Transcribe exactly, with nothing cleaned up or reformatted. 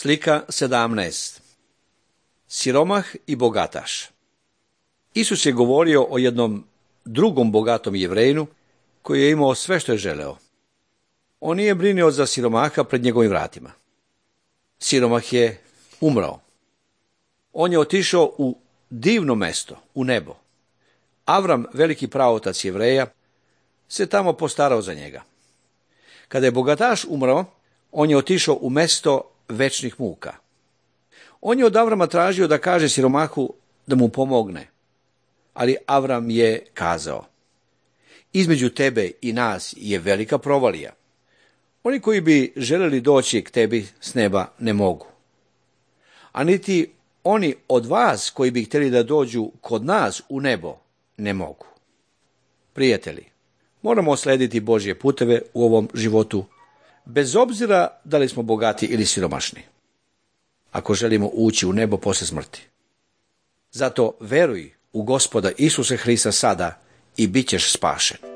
Slika sedamnaest. Siromah i bogataš. Isus je govorio o jednom drugom bogatom Jevrejinu koji je imao sve što je želeo. On nije brinio za siromaha pred njegovim vratima. Siromah je umrao. On je otišao u divno mesto, u nebo. Avram, veliki praotac Jevreja, se tamo postarao za njega. Kada je bogataš umrao, on je otišao u mesto večnih muka. On je od Avrama tražio da kaže siromahu da mu pomogne, ali Avram je kazao: između tebe i nas je velika provalija. Oni koji bi želeli doći k tebi s neba ne mogu, a niti oni od vas koji bi htjeli da dođu kod nas u nebo ne mogu. Prijatelji, moramo slediti Božje puteve u ovom životu, bez obzira da li smo bogati ili siromašni, ako želimo ući u nebo posle smrti. Zato veruj u Gospoda Isusa Hrista sada i bit ćeš spašen.